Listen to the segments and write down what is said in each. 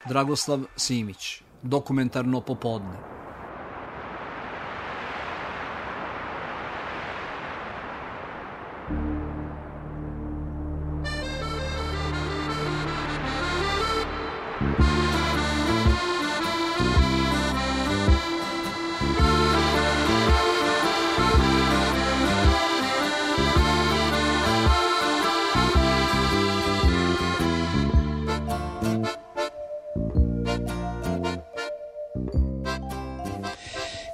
Dragoslav Simić, Dokumentarno popodne.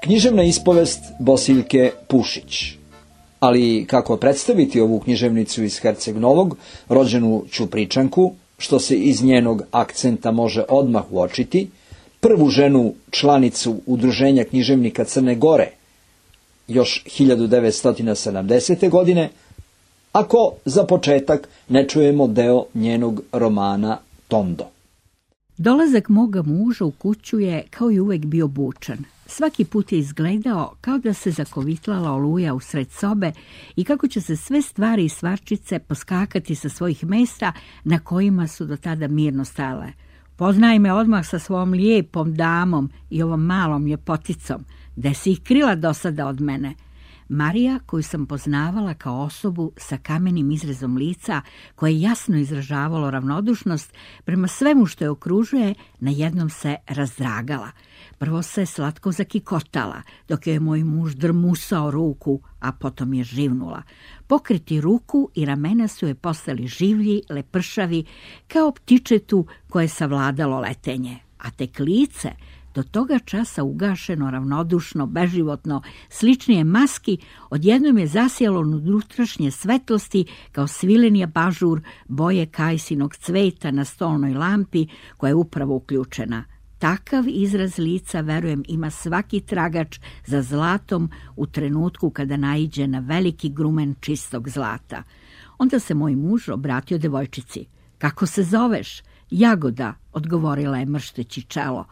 Književna ispovest Bosiljke Pušić. Ali kako predstaviti ovu književnicu iz Herceg Novog, rođenu Ćupričanku, što se iz njenog akcenta može odmah uočiti, prvu ženu članicu Udruženja književnika Crne Gore, još 1970. godine, ako za početak ne čujemo deo njenog romana Tondo. Dolazak moga muža u kuću je kao i uvek bio bučan. Svaki put je izgledao kao da se zakovitlala oluja usred sobe i kako će se sve stvari i stvarčice poskakati sa svojih mesta na kojima su do tada mirno stale. Poznaj me odmah sa svom lijepom damom i ovom malom ljepoticom, gde si ih krila do sada od mene. Marija, koju sam poznavala kao osobu sa kamenim izrezom lica, koje je jasno izražavalo ravnodušnost prema svemu što je okružuje, najednom se razdragala. Prvo se slatko zakikotala, dok je moj muž drmusao ruku, a potom je živnula. Pokriti ruku i ramena su je postali življi, lepršavi, kao ptičetu koje je savladalo letenje. A tek lice, do toga časa ugašeno, ravnodušno, beživotno, sličnije maski, odjednom je zasjelo unutrašnje svetlosti kao svileni abažur boje kajsinog cveta na stolnoj lampi koja je upravo uključena. Takav izraz lica, verujem, ima svaki tragač za zlatom u trenutku kada naiđe na veliki grumen čistog zlata. Onda se moj muž obratio devojčici. Kako se zoveš? Jagoda, odgovorila je mršteći čelo.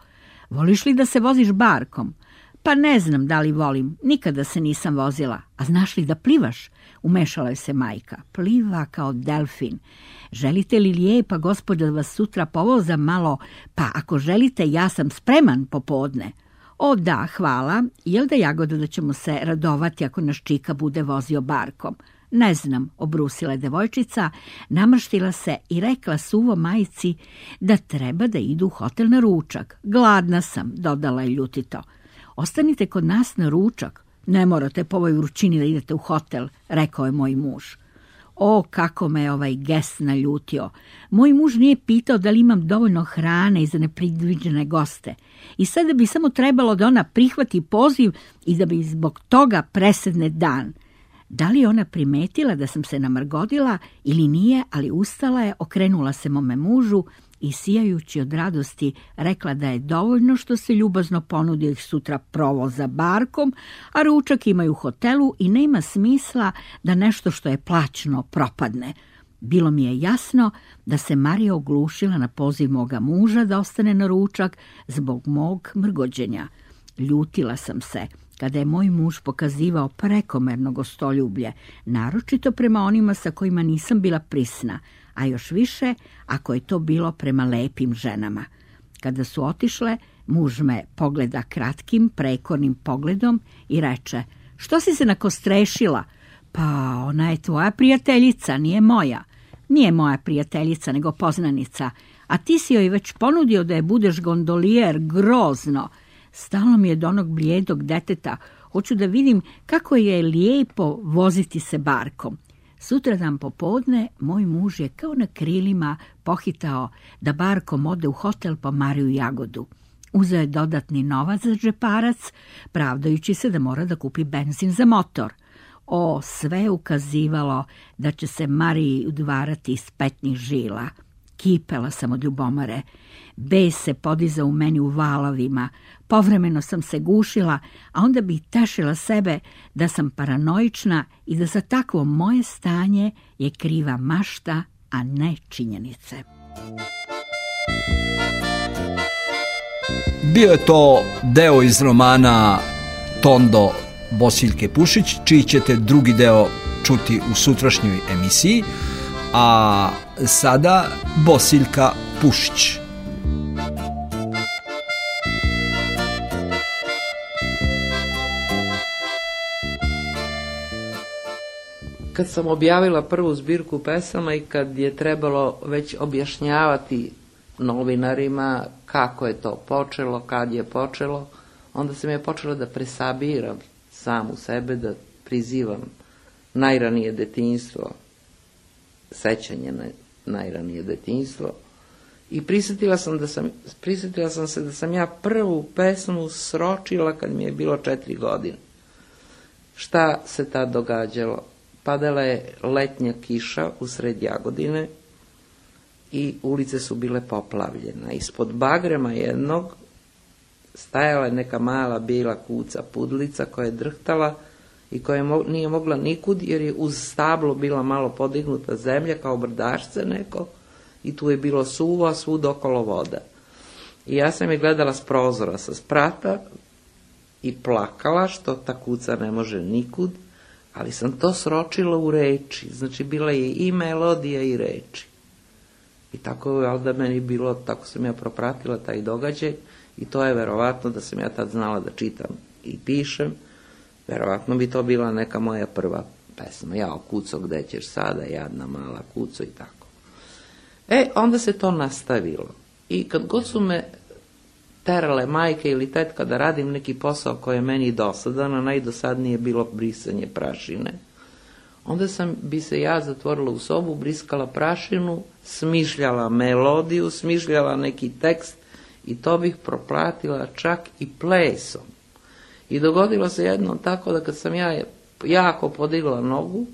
Voliš li da se voziš barkom? Pa ne znam da li volim, nikada se nisam vozila. A znaš li da plivaš? Umešala je se majka. Pliva kao delfin. Želite li lijepa gospođa da vas sutra povoza malo? Pa ako želite, ja sam spreman popodne. O da, hvala. Jel da, Jagoda, da ćemo se radovati ako naš čika bude vozio barkom? Ne znam, obrusila je devojčica, namrštila se i rekla suvo majci da treba da idu u hotel na ručak. Gladna sam, dodala je ljutito. Ostanite kod nas na ručak. Ne morate po ovoj vrućini da idete u hotel, rekao je moj muž. O, kako me ovaj gest naljutio. Moj muž nije pitao da li imam dovoljno hrane i za nepredviđene goste. I sada bi samo trebalo da ona prihvati poziv i da bi zbog toga presedne dan. Da li ona primetila da sam se namrgodila ili nije, ali ustala je, okrenula se mome mužu i sijajući od radosti rekla da je dovoljno što se ljubazno ponudio ih sutra provoza barkom, a ručak imaju u hotelu i nema smisla da nešto što je plaćno propadne. Bilo mi je jasno da se Marija oglušila na poziv moga muža da ostane na ručak zbog mog mrgođenja. Ljutila sam se kada je moj muž pokazivao prekomerno gostoljublje, naročito prema onima sa kojima nisam bila prisna, a još više ako je to bilo prema lepim ženama. Kada su otišle, muž me pogleda kratkim, prekornim pogledom i reče: što si se nakostrešila? Pa ona je tvoja prijateljica, nije moja. Nije moja prijateljica, nego poznanica. A ti si joj već ponudio da je budeš gondolijer, grozno. Stalo mi je do onog blijedog deteta. Hoću da vidim kako je lijepo voziti se barkom. Sutradan popodne moj muž je kao na krilima pohitao da barkom ode u hotel po Mariju Jagodu. Uzeo je dodatni novac za džeparac, pravdajući se da mora da kupi benzin za motor. O, sve je ukazivalo da će se Mariji udvarati iz petnih žila. Kipela sam od ljubomore. Bes se podizao u meni u valovima. Povremeno sam se gušila, a onda bi tešila sebe da sam paranoična i da za takvo moje stanje je kriva mašta, a ne činjenice. Bio je to deo iz romana Tondo Bosiljke Pušić, čiji ćete drugi deo čuti u sutrašnjoj emisiji, a sada Bosiljka Pušić. kad sam objavila prvu zbirku pesama i kad je trebalo već objašnjavati novinarima kako je to počelo, kad je počelo, onda sam ja počela da presabiram samu sebe, da prizivam najranije detinjstvo, sećanje na najranije detinjstvo. I prisjetila sam se da sam ja prvu pesmu sročila kad mi je bilo 4 godine. Šta se tad događalo? Padala je letnja kiša usred Jagodine i ulice su bile poplavljene. Ispod bagrema jednog stajala je neka mala bijela kuca pudlica koja je drhtala i koja nije mogla nikud jer je uz stablo bila malo podignuta zemlja kao brdašce neko i tu je bilo suvo, a svud okolo voda. I ja sam je gledala s prozora, sa sprata i plakala što ta kuca ne može nikud, ali sam to sročila u reči, znači bila je i melodija i reči. I tako je da meni bilo, tako sam ja propratila taj događaj i to je verovatno da sam ja tad znala da čitam i pišem, verovatno bi to bila neka moja prva pesma. Jao kuco, gde ćeš sada, jadna mala kuco i tako. Onda se to nastavilo. I kad god su me terale majke ili tetka da radim neki posao koji je meni dosadan, a najdosadnije bilo brisanje prašine, onda bi se ja zatvorila u sobu, briskala prašinu, smišljala melodiju, smišljala neki tekst i to bih proplatila čak i plesom. I dogodilo se jednom tako da kad sam ja jako podigla nogu,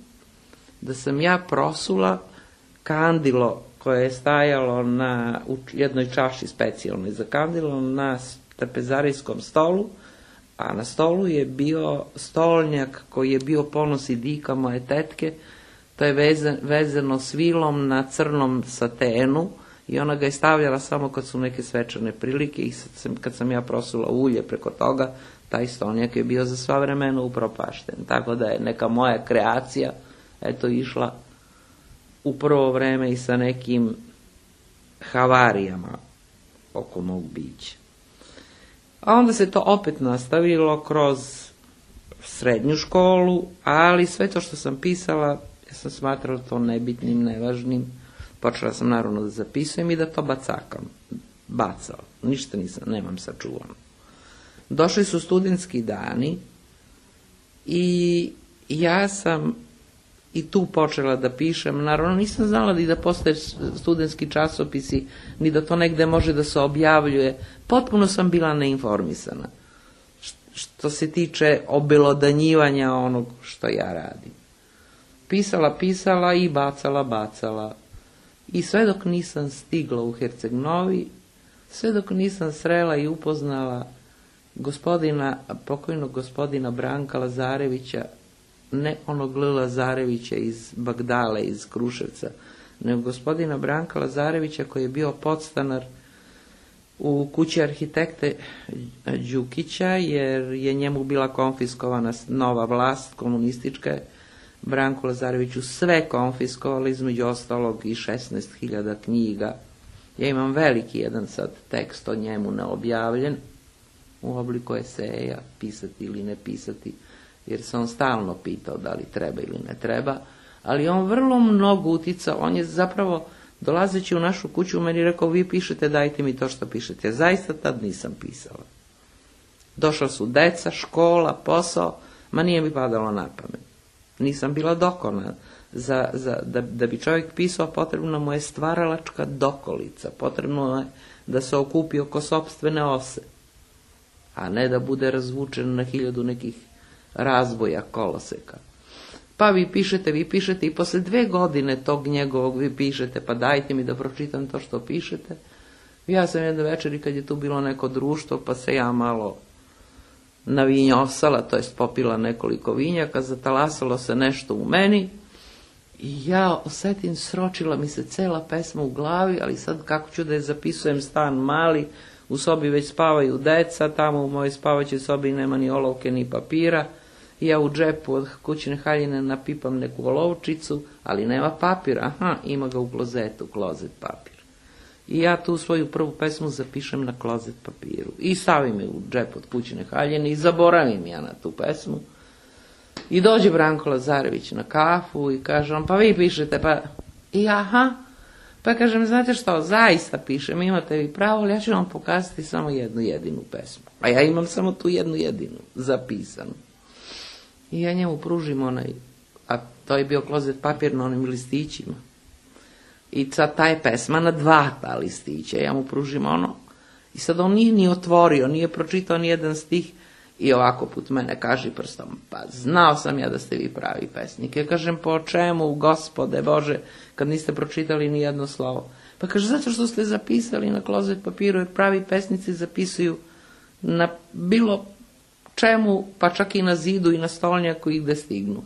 da sam ja prosula kandilo koje je stajalo u jednoj čaši specijalnoj za kandilo na trpezarijskom stolu, a na stolu je bio stolnjak koji je bio ponos i dika moje tetke, to je vezano svilom na crnom satenu i ona ga je stavljala samo kad su neke svečane prilike i kad sam ja prosula ulje preko toga, taj stolnjak je bio za sva vremena upropašten. Tako da je neka moja kreacija išla u prvo vreme i sa nekim havarijama oko mog bića. A onda se to opet nastavilo kroz srednju školu, ali sve to što sam pisala, ja sam smatrala to nebitnim, nevažnim. Počela sam naravno da zapisujem i da to bacala. Ništa nemam sačuvano. Došli su studentski dani i ja sam i tu počela da pišem. Naravno nisam znala da postoje studentski časopisi, ni da to negde može da se objavljuje. Potpuno sam bila neinformisana što se tiče obelodanjivanja onog što ja radim. Pisala i bacala. I sve dok nisam stigla u Herceg-Novi, sve dok nisam srela i upoznala pokojnog gospodina Branka Lazarevića, ne onog L. Lazarevića iz Bagdale, iz Kruševca, nego gospodina Branka Lazarevića koji je bio podstanar u kući arhitekte Đukića, jer je njemu bila konfiskovana nova vlast komunistička. Branku Lazareviću sve konfiskovalo, između ostalog i 16.000 knjiga. Ja imam veliki jedan sad tekst o njemu neobjavljen, u obliku eseja, pisati ili ne pisati, jer se on stalno pitao da li treba ili ne treba, ali on vrlo mnogo uticao. On je zapravo, dolazeći u našu kuću, meni rekao, vi pišete, dajte mi to što pišete. Ja zaista tad nisam pisala. Došla su deca, škola, posao, ma nije mi padalo na pamet. Nisam bila dokonačna. Da bi čovjek pisao, potrebno mu je stvaralačka dokolica, potrebno je da se okupi oko sopstvene ose, a ne da bude razvučen na 1000 nekih razboja, koloseka. Pa vi pišete i posle 2 godine tog njegovog vi pišete, pa dajte mi da pročitam to što pišete. Ja sam jedne večeri kad je tu bilo neko društvo, pa se ja malo navinjosala, to jest popila nekoliko vinjaka, zatalasalo se nešto u meni i ja osetim, sročila mi se cela pesma u glavi, ali sad kako ću da je zapisujem, stan mali, u sobi već spavaju deca, tamo u mojoj spavaćoj sobi nema ni olovke ni papira, i ja u džepu od kućne haljine napipam neku olovčicu, ali nema papira, ima ga u klozetu, klozet papir. I ja tu svoju prvu pesmu zapišem na klozet papiru i stavim je u džep od kućne haljine i zaboravim ja na tu pesmu. I dođe Branko Lazarević na kafu i kaže on, pa vi pišete, pa i aha. Pa kažem, znate što, zaista pišem, imate vi pravo, ali ja ću vam pokazati samo jednu jedinu pesmu. A ja imam samo tu jednu jedinu zapisanu. I ja njemu pružim onaj, a to je bio klozet papir na onim listićima. I sad ta je pesma na 2 ta listića, ja mu pružim ono. I sad on nije ni otvorio, nije pročitao ni jedan stih i ovako put mene kaži prstom, pa znao sam ja da ste vi pravi pesnik. Ja kažem, po čemu, Gospode Bože, kad niste pročitali ni jedno slovo? Pa kaže, zato što ste zapisali na klozet papiru, jer pravi pesnici zapisuju na bilo čemu, pa čak i na zidu i na stolnjaku i gde stignu.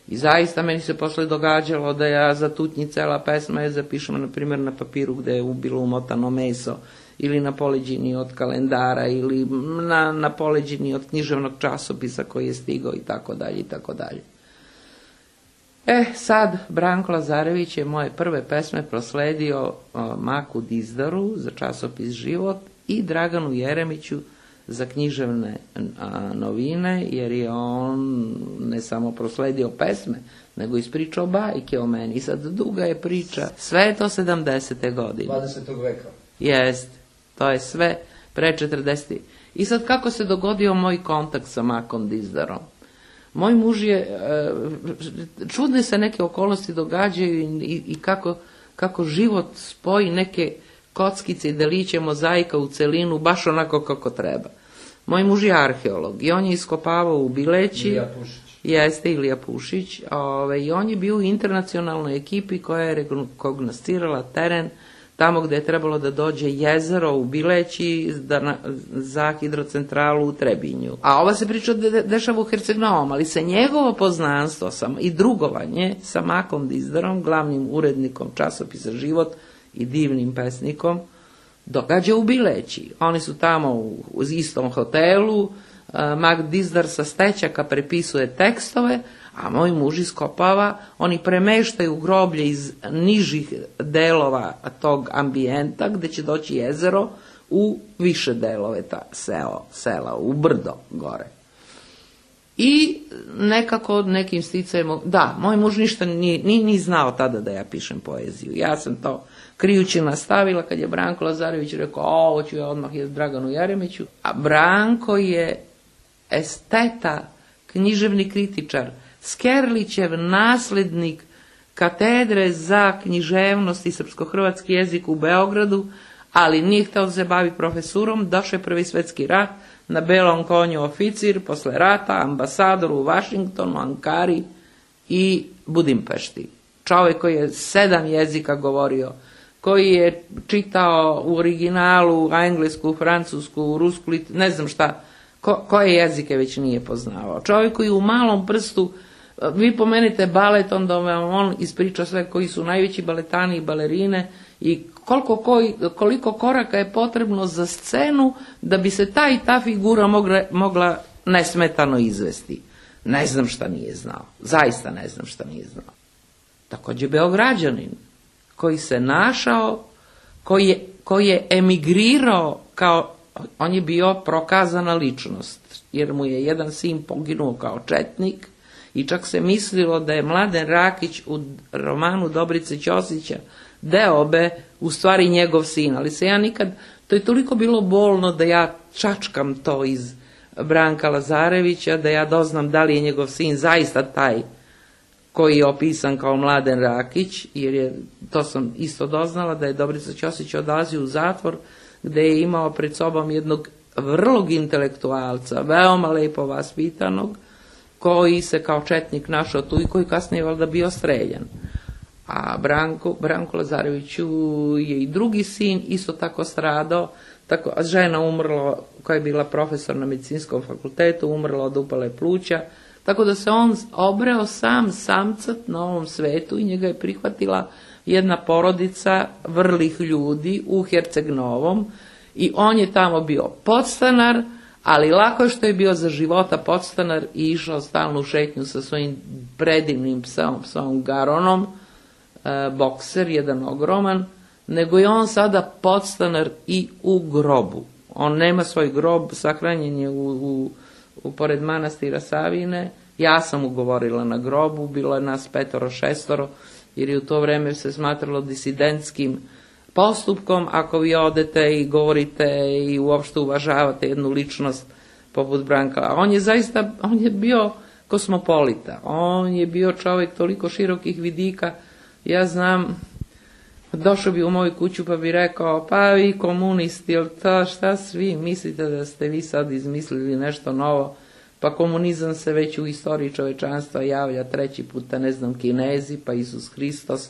I zaista meni se posle događalo da ja zatutnji cela pesma je zapišem, na primjer, na papiru gde je bilo umotano meso, ili na poleđini od kalendara, ili na poleđini od književnog časopisa koji je stigao, i tako dalje, i tako dalje. Sad, Branko Lazarević je moje prve pesme prosledio Maku Dizdaru za časopis Život i Draganu Jeremiću za književne novine, jer je on ne samo prosledio pesme, nego ispričao bajke o meni. I sad duga je priča, sve je to 70. godine. 20. veka. Jest, to je sve pre 40. I sad kako se dogodio moj kontakt sa Makom Dizdarom? Moj muž je, čudne se neke okolnosti događaju i kako život spoji neke kockice i deliće mozaika u celinu, baš onako kako treba. Moj muž je arheolog i on je iskopavao u Bileći. Ilija Pušić. Jeste, Ilija Pušić. I on je bio u internacionalnoj ekipi koja je rekognoscirala teren tamo gde je trebalo da dođe jezero u Bileći za hidrocentralu u Trebinju. A ova se priča dešava u Herceg-Novom, ali se njegovo poznanstvo i drugovanje sa Makom Dizdarom, glavnim urednikom časopisa Život i divnim pesnikom, događa u Bileći. Oni su tamo u istom hotelu, Mak Dizdar sa stećaka prepisuje tekstove, a moj muž iskopava, oni premeštaju groblje iz nižih delova tog ambijenta, gde će doći jezero, u više delove sela, u brdo gore. I nekako nekim sticajem, da, moj muž ništa ni znao tada da ja pišem poeziju. Ja sam to krijući nastavila kad je Branko Lazarević rekao, ovo ću ja odmah je Draganu Jeremiću. A Branko je esteta, književni kritičar, Skerlićev naslednik katedre za književnost i srpsko-hrvatski jezik u Beogradu, ali nije hteo da se bavi profesurom, došao je Prvi svetski rat, na belom konju oficir, posle rata ambasador u Vašingtonu, Ankari i Budimpešti. Čovjek koji je 7 jezika govorio, koji je čitao u originalu englesku, francusku, rusku, ne znam šta, koje jezike već nije poznavao. Čovjek koji u malom prstu, vi pomenete balet, onda on ispriča sve koji su najveći baletani i balerine i koliko koraka je potrebno za scenu da bi se ta i ta figura mogla nesmetano izvesti. Ne znam šta nije znao. Zaista ne znam šta nije znao. Također Beograđanin koji se našao, koji je emigrirao on je bio prokazana ličnost, jer mu je jedan sin poginuo kao četnik i čak se mislilo da je Mladen Rakić u romanu Dobrice Ćosića Deobe u stvari njegov sin, ali se ja nikad, to je toliko bilo bolno da ja čačkam to iz Branka Lazarevića, da ja doznam da li je njegov sin zaista taj koji je opisan kao Mladen Rakić, jer to sam isto doznala da je Dobrica Ćosić odlazio u zatvor gde je imao pred sobom jednog vrlog intelektualca, veoma lepo vaspitanog, koji se kao četnik našao tu i koji kasnije valjda bio streljan. A Branko Lazareviću je i drugi sin isto tako stradao, žena umrla koja je bila profesor na medicinskom fakultetu, umrla od upale pluća, tako da se on obreo samcat na ovom svetu i njega je prihvatila jedna porodica vrlih ljudi u Herceg-Novom i on je tamo bio podstanar, ali lako je što je bio za života podstanar i išao stalnu šetnju sa svojim predivnim psom Garonom, bokser, jedan ogroman, nego je on sada podstanar i u grobu. On nema svoj grob, sahranjen je pored manastira Savine Ja sam ugovorila na grobu, bilo je nas 5-6, jer je u to vreme se smatralo disidentskim postupkom ako vi odete i govorite i uopšte uvažavate jednu ličnost poput Branka. A on je bio kosmopolita, on je bio čovjek toliko širokih vidika. Ja znam, došao bi u moju kuću pa bi rekao, pa vi komunisti, šta svi mislite da ste vi sad izmislili nešto novo? Pa komunizam se već u istoriji čovečanstva javlja 3. puta, ne znam, Kinezi, pa Isus Hristos,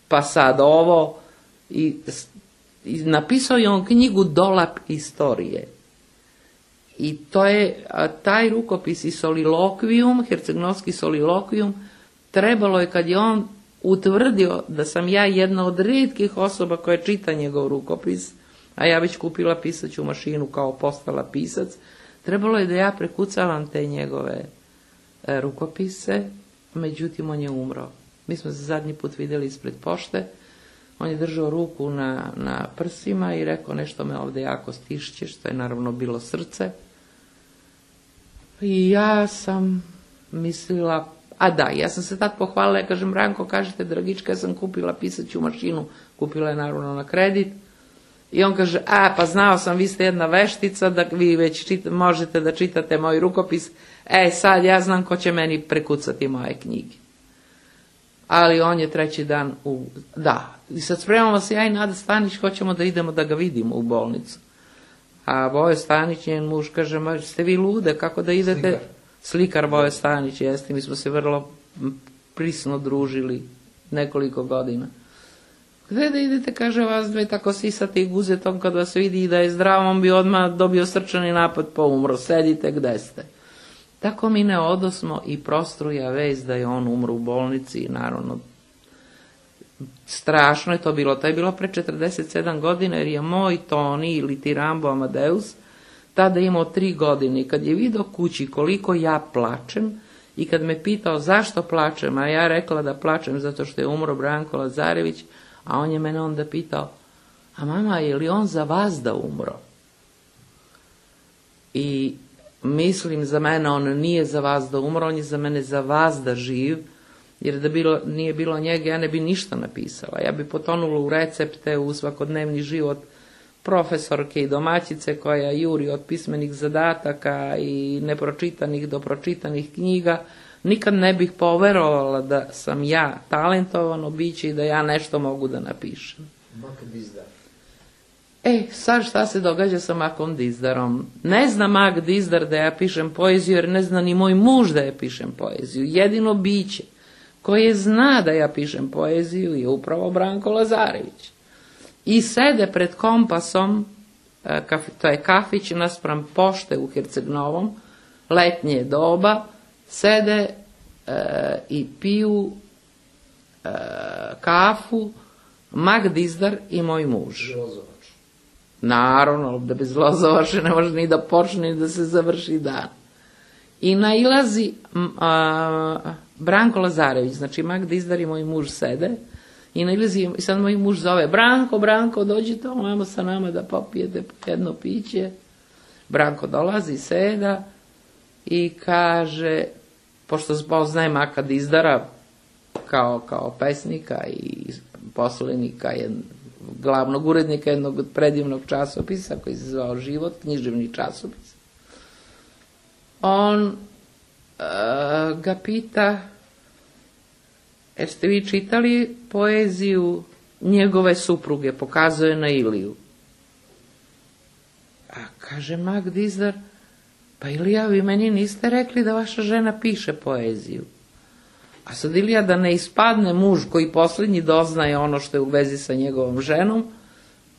pa sad ovo. I napisao je on knjigu Dolap istorije. I to je taj rukopis i solilokvijum, hercegnovski solilokvijum, trebalo je kad je on utvrdio da sam ja jedna od rijetkih osoba koja čita njegov rukopis, a ja već kupila pisaću mašinu kao postala pisac, trebalo je da ja prekucavam te njegove rukopise, međutim on je umro. Mi smo se zadnji put vidjeli ispred pošte, on je držao ruku na prsima i rekao nešto me ovdje jako stišće, što je naravno bilo srce. I ja sam mislila, ja sam se tad pohvalila, ja kažem, Branko, kažete, Dragička, ja sam kupila pisaću mašinu, kupila je naravno na kredit. I on kaže, pa znao sam, vi ste jedna veštica, da vi već možete da čitate moj rukopis, sad ja znam ko će meni prekucati moje knjige. Ali on je 3. dan i sad spremamo se ja i Nada Stanić, hoćemo da idemo da ga vidimo u bolnicu. A Vojo Stanić, njen muž, kaže, ste vi lude, kako da idete? Slikar Vojo Stanić, jeste, mi smo se vrlo prisno družili nekoliko godina. Gde da idete, kaže, vas dve tako sisate i guzetom, kad vas vidi da je zdrav, on bi odmah dobio srčani napad pa umro, sedite gde ste. Tako mi ne odosmo i prostruja vez da je on umro u bolnici, naravno, strašno je to bilo, to je bilo pre 47 godina, jer je moj Toni ili Tirambo Amadeus tada imao 3 godine i kad je vidio kući koliko ja plačem i kad me pitao zašto plačem, a ja rekla da plačem zato što je umro Branko Lazarević, a on je mene onda pitao, a mama, je li on za vas da umro? I mislim, za mene on nije za vas da umro, on je za mene za vas da živ, jer da nije bilo njega, ja ne bi ništa napisala. Ja bi potonula u recepte, u svakodnevni život profesorke i domaćice koja juri od pismenih zadataka i nepročitanih do pročitanih knjiga. Nikad ne bih poverovala da sam ja talentovano biće i da ja nešto mogu da napišem. Mak Dizdar. Sad šta se događa sa Makom Dizdarom? Ne zna Mak Dizdar da ja pišem poeziju, jer ne zna ni moj muž da ja pišem poeziju. Jedino biće koje zna da ja pišem poeziju je upravo Branko Lazarević. I sede pred Kompasom, to je kafić naspram pošte u Herceg-Novom, letnje doba, sede i piju kafu Mak Dizdar i moj muž. Lozovač. Naravno, da bez Lozovače ne može ni da počne ni da se završi dan. I nailazi Branko Lazarević, znači Mak Dizdar i moj muž sede, i nailazi, i sad moj muž zove, Branko, dođite ovamo sa nama da popijete jedno piće. Branko dolazi, seda i kaže, pošto poznaje Maka Dizdara kao pesnika i poslenika, glavnog urednika jednog predivnog časopisa koji se zvao Život, književni časopis, on ga pita, jeste vi čitali poeziju njegove supruge, pokazuje na Iliju. A kaže Mak Dizdar, pa Ilija, vi meni niste rekli da vaša žena piše poeziju. A sad Ilija, da ne ispadne muž koji posljednji doznaje ono što je u vezi sa njegovom ženom,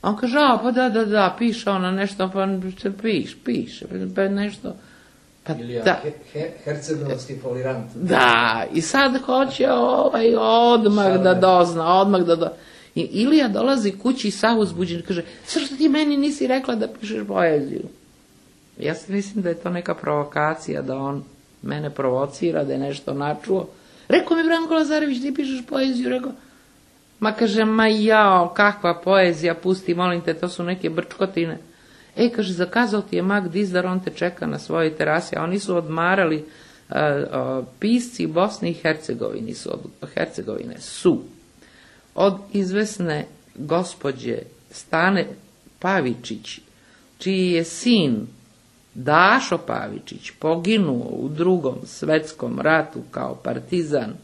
on kaže, pa da, piše ona nešto, pa piše, pa nešto. Ilija, hercegovski folirant. Da, i sad hoće odmah da dozna, I Ilija dolazi kući sav uzbuđen i kaže, što ti meni nisi rekla da pišeš poeziju? Ja se mislim da je to neka provokacija, da on mene provocira, da je nešto načuo. Rekao mi Branko Lazarević, ti pišeš poeziju? Rekao, kaže, kakva poezija, pusti, molim te, to su neke brčkotine. Kaže, zakazao ti je Mak Dizdar, on te čeka na svojoj terasi, a oni su odmarali pisci Bosne i Hercegovine su od izvesne gospođe Stane Pavičić, čiji je sin Dašo Pavičić poginuo u Drugom svetskom ratu kao partizan,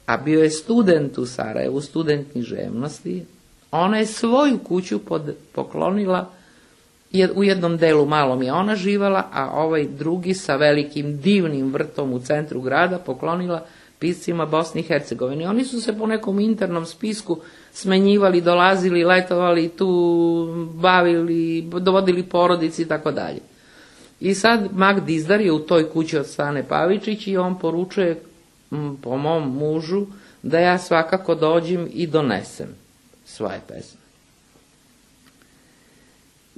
a bio je student u Sarajevu, student književnosti, ona je svoju kuću poklonila, u jednom delu malom je ona živala, a ovaj drugi sa velikim divnim vrtom u centru grada poklonila piscima Bosne i Hercegovine. Oni su se po nekom internom spisku smenjivali, dolazili, letovali, tu bavili, dovodili porodici i tako dalje. I sad Mag Dizdar je u toj kući od Stane Pavičić i on poručuje po mom mužu da ja svakako dođem i donesem svoje pesme.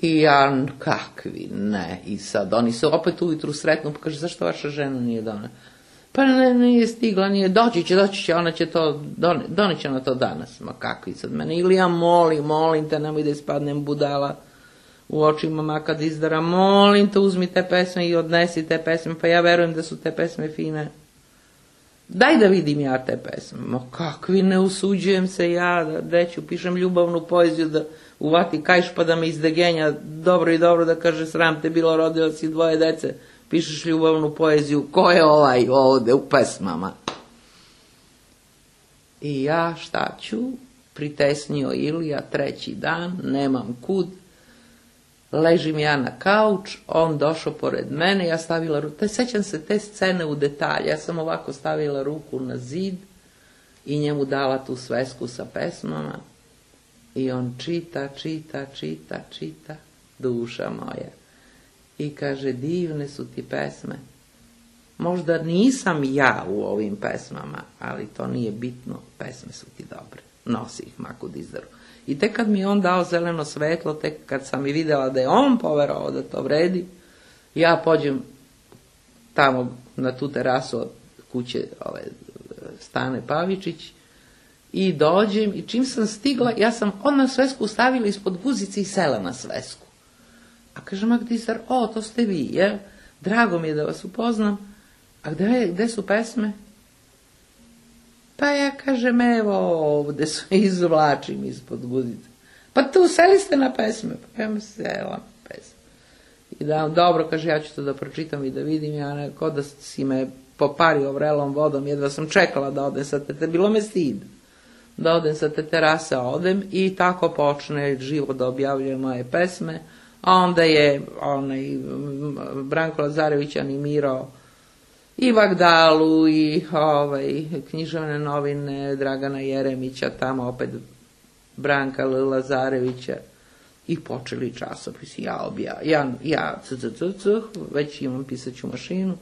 I ja, kakvi, ne. I sad oni se opet ujutru sretnu, pa kaže, zašto vaša žena nije donela? Pa ne, nije stigla, nije, doći će, ona će to, doneće na to danas. Ma kakvi sad mene, ili ja molim te, nemoj da ispadnem budala u očima Maka Dizdara, molim te, uzmi te pesme i odnesi te pesme, pa ja verujem da su te pesme fine. Daj da vidim ja te pesme. Ma kakvi, ne usuđujem se ja, da ću, pišem ljubavnu poeziju, da uvati kajš pa da me izdegenja, dobro i dobro da kaže, sram te bilo, rodila si 2 dece, pišeš ljubavnu poeziju, ko je ovaj ovde u pesmama? I ja šta ću, pritesnio Ilija 3. dan, nemam kud, ležim ja na kauč, on došao pored mene, ja stavila ruku, sećam se te scene u detalje, ja sam ovako stavila ruku na zid i njemu dala tu svesku sa pesmama i on čita, duša moja. I kaže, divne su ti pesme. Možda nisam ja u ovim pesmama, ali to nije bitno, pesme su ti dobre. Nosi ih Maku Dizdaru. I tek kad mi je on dao zeleno svetlo, tek kad sam i vidjela da je on poverovao da to vredi, ja pođem tamo na tu terasu od kuće Stane Pavičić i dođem i čim sam stigla, ja sam odmah svesku stavila ispod guzice i sela na svesku. A kaže Mak Dizdar, to ste vi, je? Drago mi je da vas upoznam. A gde su pesme? Pa ja kažem, evo ovde su, izvlačim ispod guzice. Pa tu seli ste na pesme. Pa ja me sela na pesme. I da, dobro, kaže, ja ću to da pročitam i da vidim, ja neko da si me popario vrelom vodom, jedva sam čekala da odem sa te, bilo me stid. Da odem sa te terase, odem i tako počne živo da objavljuje moje pesme, a onda je Branko Lazarević animirao i Vagdalu i književne novine Dragana Jeremića, tamo opet Branka Lazarevića i počeli časopisi. Ja već imam pisaću mašinu,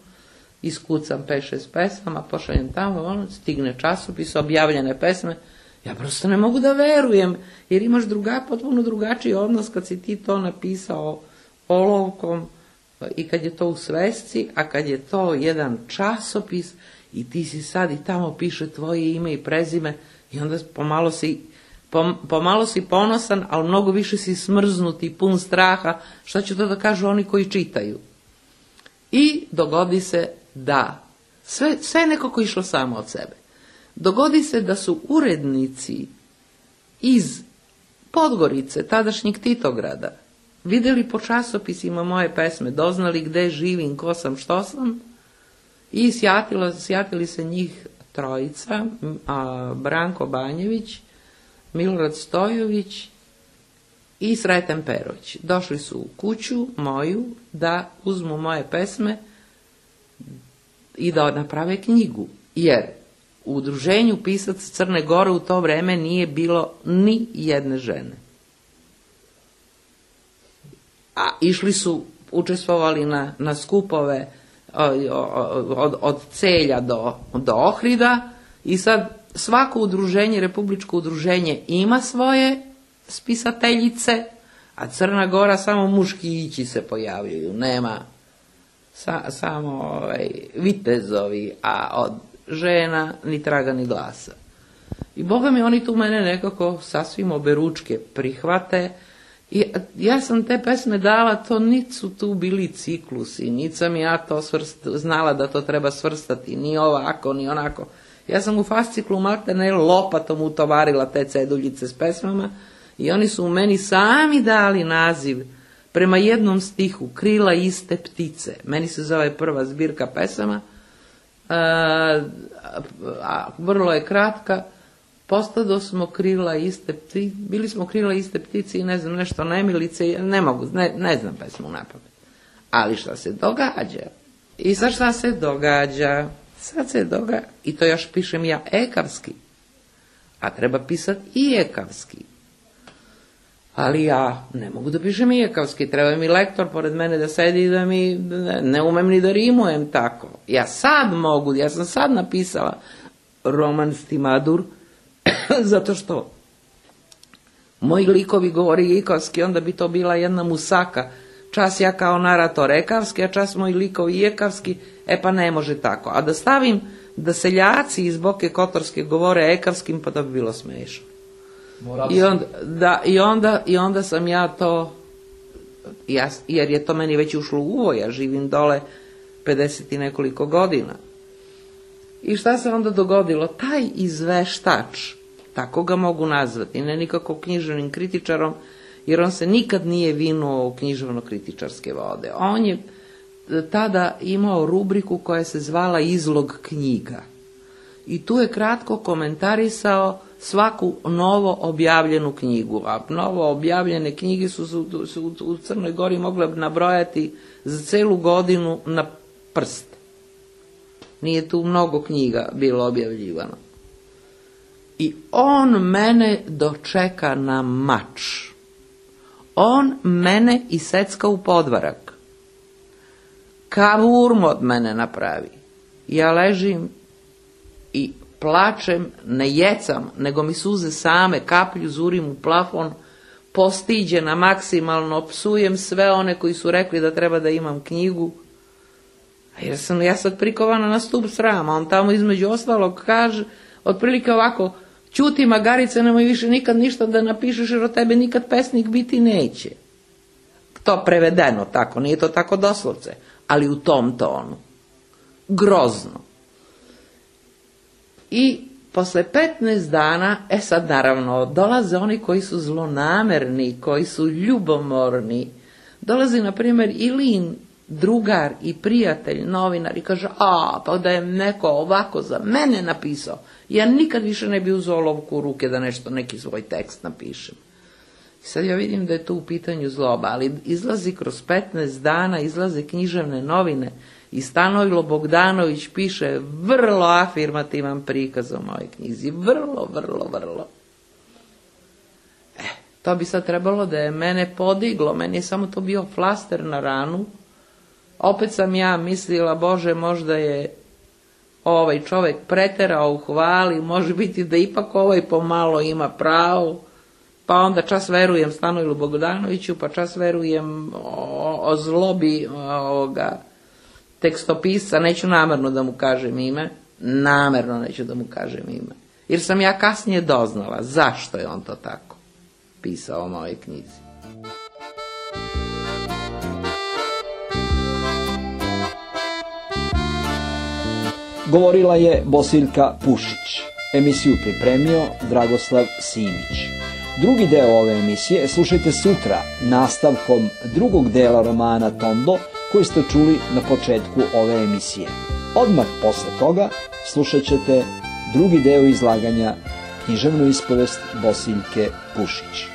iskucam 5-6 pesama, pošaljem tamo, stigne časopis, objavljene pesme. Ja prosto ne mogu da verujem, jer imaš potpuno drugačiji odnos kad si ti to napisao olovkom i kad je to u svesci, a kad je to jedan časopis i ti si sad i tamo piše tvoje ime i prezime i onda pomalo si ponosan, ali mnogo više si smrznut i pun straha, šta će to da kažu oni koji čitaju. I dogodi se da sve je nekako išlo samo od sebe. Dogodi se da su urednici iz Podgorice, tadašnjeg Titograda, vidjeli po časopisima moje pesme, doznali gde živim, ko sam, što sam, i sjatili se njih 3, Branko Banjević, Milorad Stojović i Sreten Perović. Došli su u kuću moju da uzmu moje pesme i da naprave knjigu, jer u udruženju pisaca Crne Gore u to vreme nije bilo ni jedne žene. A išli su, učestvovali na skupove od Celja do Ohrida i sad svako udruženje, republičko udruženje ima svoje spisateljice, a Crna Gora samo muškići se pojavljuju, nema samo vitezovi, a od žena ni traga ni glasa. I boga mi oni tu mene nekako sasvim oberučke prihvate I ja sam te pesme dala, to niti su tu bili ciklusi, niti sam ja to znala da to treba svrstati, ni ovako, ni onako. Ja sam u fasciklu maltene lopatom utovarila te ceduljice s pesmama i oni su u meni sami dali naziv prema jednom stihu, Krila iste ptice. Meni se zove prva zbirka pesama, vrlo je kratka. Postado smo krila iste ptice, bili smo krila iste ptice i ne znam nešto nemilice, ne znam pesmu napamet. Ali šta se događa? I sad šta se događa? Sad se događa, i to još pišem ja ekavski, a treba pisati i ekavski. Ali ja ne mogu da pišem i ekavski, treba mi lektor pored mene da sedi i da mi, ne umem ni da rimujem tako. Ja sad mogu, ja sam sad napisala roman Stimadur, zato što moji likovi govori ekavski, onda bi to bila jedna musaka. Čas ja kao narator ekavski, a čas moji likovi ekavski, pa ne može tako. A da stavim da seljaci iz Boke Kotorske govore ekavskim, pa da bi bilo smešno. I onda sam ja to, jer je to meni već ušlo u uvo, ja živim dole 50 i nekoliko godina. I šta se onda dogodilo? Taj izveštač, tako ga mogu nazvati, ne nikako književnim kritičarom, jer on se nikad nije vinuo u književno-kritičarske vode. On je tada imao rubriku koja se zvala Izlog knjiga. I tu je kratko komentarisao svaku novo objavljenu knjigu. A novo objavljene knjige su u Crnoj Gori mogle nabrojati za celu godinu na prst. Nije tu mnogo knjiga bilo objavljivano. I on mene dočeka na mač. On mene isecka u podvarak. Kavurm od mene napravi. Ja ležim i plačem, ne jecam, nego mi suze same kaplju, zurim u plafon, postiđena maksimalno, psujem sve one koji su rekli da treba da imam knjigu. Jer sam ja sad prikovana na stup srama. On tamo između ostalog kaže, otprilike ovako, ćuti magarice, nemoj više nikad ništa da napišeš, jer od tebe nikad pesnik biti neće. To prevedeno tako, nije to tako doslovce, ali u tom tonu. Grozno. I posle 15 dana, sad naravno, dolaze oni koji su zlonamerni, koji su ljubomorni. Dolazi, na primjer, Ilin, drugar i prijatelj, novinar, i kaže, pa da je neko ovako za mene napisao, ja nikad više ne bi uzeo olovku u ruke da neki svoj tekst napišem. I sad ja vidim da je tu u pitanju zloba, ali izlazi kroz 15 dana, izlaze književne novine i Stanojlo Bogdanović piše vrlo afirmativan prikaz o mojoj knjizi, vrlo. To bi sad trebalo da je mene podiglo, meni je samo to bio flaster na ranu. Opet sam ja mislila, Bože, možda je ovaj čovek preterao u hvali, može biti da ipak ovaj pomalo ima pravo, pa onda čas verujem Stanojlu Bogdanoviću, pa čas verujem o zlobi ovoga tekstopisca, neću namerno da mu kažem ime, jer sam ja kasnije doznala zašto je on to tako pisao o mojoj knjizi. Govorila je Bosiljka Pušić. Emisiju pripremio Dragoslav Simić. Drugi deo ove emisije slušajte sutra nastavkom drugog dela romana Tondo koji ste čuli na početku ove emisije. Odmah posle toga slušat ćete drugi deo izlaganja književnu ispovest Bosiljke Pušić.